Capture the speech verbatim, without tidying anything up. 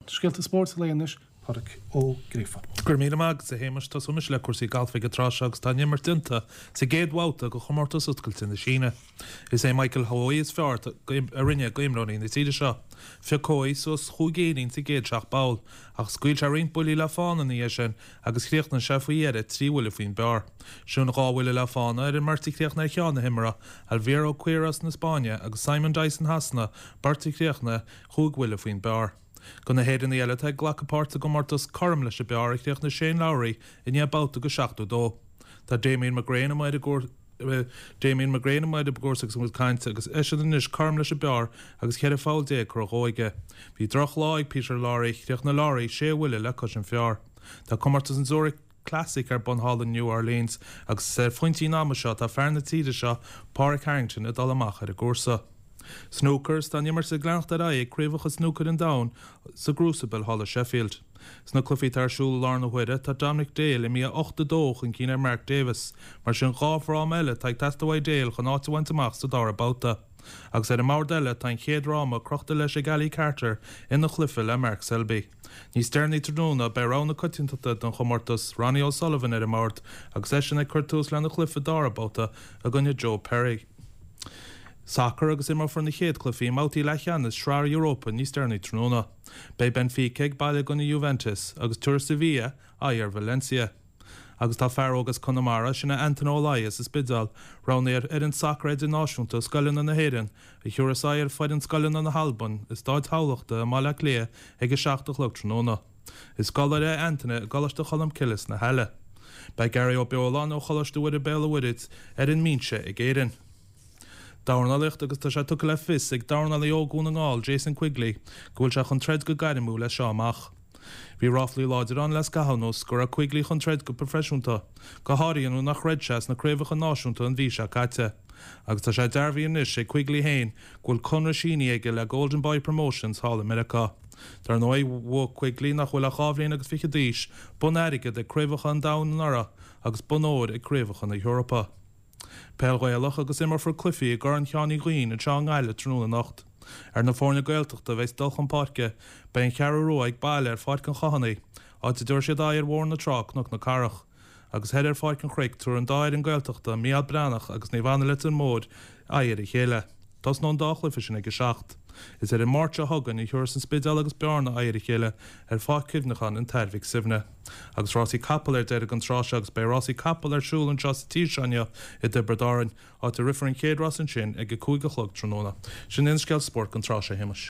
Scéalta spóirt an lae anois, Pádraic Ó Gríofa. Go raibh míle maith agat, a Shéamais. Tosóimis le cúrsaí gailf ag an tráth seo agus tá an imirt déanta sa gcéad bhabhta de chomórtas oscailte na Síne. Is é Michael Hoey is fearr a rinne d'imreoirí na tíre seo. Phioc Hoey suas chúig éinín sa gcéad seacht bpoll, ach scaoil sé roinnt buillí le fána ina dhiaidh sin agus chríochnaigh sé faoi dheireadh trí bhuille faoin bpar. Sin dhá bhuille le fána ar an mbeirt a chríochnaigh ar cheann na himeartha, Alvaro Quiros na Spáinne agus Simon Dyson Shasana, beirt a chríochnaigh chúig bhuille faoin bpar. Do na hÉireannaigh eile atá ag glacadh páirt sa gcomórtas, cothrom leis an bpar a chríochnaigh Shane Lowry i ndiaidh babhta de seachtó dó. Tá Damien McGrane amuigh ar an gcúrsa Damien McGrane amuigh ar an gcúrsa agus muid ag caint agus eisean anois cothrom leis an bpar agus ceithre pholl déag curtha dhó aige. Bhí drochlá ag Peter Lawrie, chríochnaigh Lawrie sé bhuille le cois an phar. Tá comórtas an Zurich Classic ar bun thall in New Orleans agus ar phointí an ama seo tá fear na tíre seo, Pádraig Harrington, ag dul amach ar an gcúrsa. Snúcar, Is tá an imirt ag leanacht ar aghaidh ag Craobhacha Snúcair an Domhain sa gCrucible thall i Sheffield. Sna cluichí atá ar siúl i láthair na huaire, tá Dominic Dale imithe ocht a dó chun cinn ar Mark Davis, mar sin dhá fhráma eile atá ag teastáil uaidh Dale chun áit a bhaint amach sa dara babhta. Agus ar an mbord eile tá an chéad fhráma crochta leis ag Ali Carter ina chluiche le Mark Selby. Níos deireanaí tráthnóna beidh rogha na coitiantachta don chomórtas, Ronnie O'Sullivan ar an mbord agus eisean ag cur tús lena chluiche dara babhta i gcoinne Joe Perry. Sacar agus imreofar na chéad chluichí i mbabhtaí leathcheannais Shraith Europa níos deireanaí tráthnóna. Beidh Benfica ag baile i gcoinne Juventus agus tabharfaidh Sevilla aghaidh ar Valencia. Agus tá fear óg as Conamara, sin é Antaine Ó Laoi as an Spidéal, roghnaithe ar fhoireann sacair idirnáisiúnta scoileanna na hÉireann, a thiúrfas aghaidh ar foireann scoileanna na hAlban i Stáid Thamhlachta i mBaile Átha Cliath ag a seacht a chlog tráthnóna. Is scoláire é Antaine i gColáiste Cholmcille sna hAille. Beidh Gary Ó Beoláin ó Choláiste Mhuire Béal an Mhuirthead ar an mbinse ag Éirinn. Dornálaíocht agus tá sé tugtha le fios ag dornálaí ó Dhún na nGall, Jason Quigley, go bhfuil sé chun troid go gairmiúil as seo amach. Bhí ráflaí láidir ann le scaitheamh anuas go raibh Quigley chun troid go proifisiúnta, go háirithe nuair nach throid sé sna craobhacha náisiúnta an mhí seo caite. Agus tá sé dearbhaithe anois ag Quigley féin go bhfuil conradh sínithe aige le Golden Boy Promotions thall i Meiriceá. Dar ndóigh, bhuaigh Quigley, nach bhfuil ach dhá bhliain agus fiche d'aois, bonn airgid ag Craobhacha an Domhain anuraidh agus bonn óir ag Craobhacha na hEorpa. Peil Ghaelach agus imreofar cluichí i gCorn Sheáin Uí Dhuinn anseo i nGaillimh tráthnóna anocht. Ar na foirne Gaeltachta a bheas ag dul chun páirce, beidh an Cheathrú Rua ag baile ar Pháirc an Chathánaigh, áit a dtabharfaidh siad aghaidh ar Bhóthar na Trá, Cnoc na Cathrach. Agus thoir ar Pháirc an Chnoic, tabharfaidh an dá fhoireann Gaeltachta, Mícheál Breathnach agus Naomh Anna Leitir Móir, aghaidh ar a chéile. Tosnóidh an dá chluiche sin ag a seacht. Is ar an Máirt seo chugainn a thiúrfas an Spidéal agus Bearna aghaidh ar a chéile ar Pháirc Chuimhneacháin an tAthair Mhic Suibhne. Agus rásaí capall ar deireadh an tráth seo agus beidh rásaí capall ar siúl anseo sa tír seo inniu i dTiobraid Árann, áit a rithfear an chéad rás ansin ag a cúig a chlog tráthnóna. Sin é an scéal spóirt don tráth seo, a Shéamais.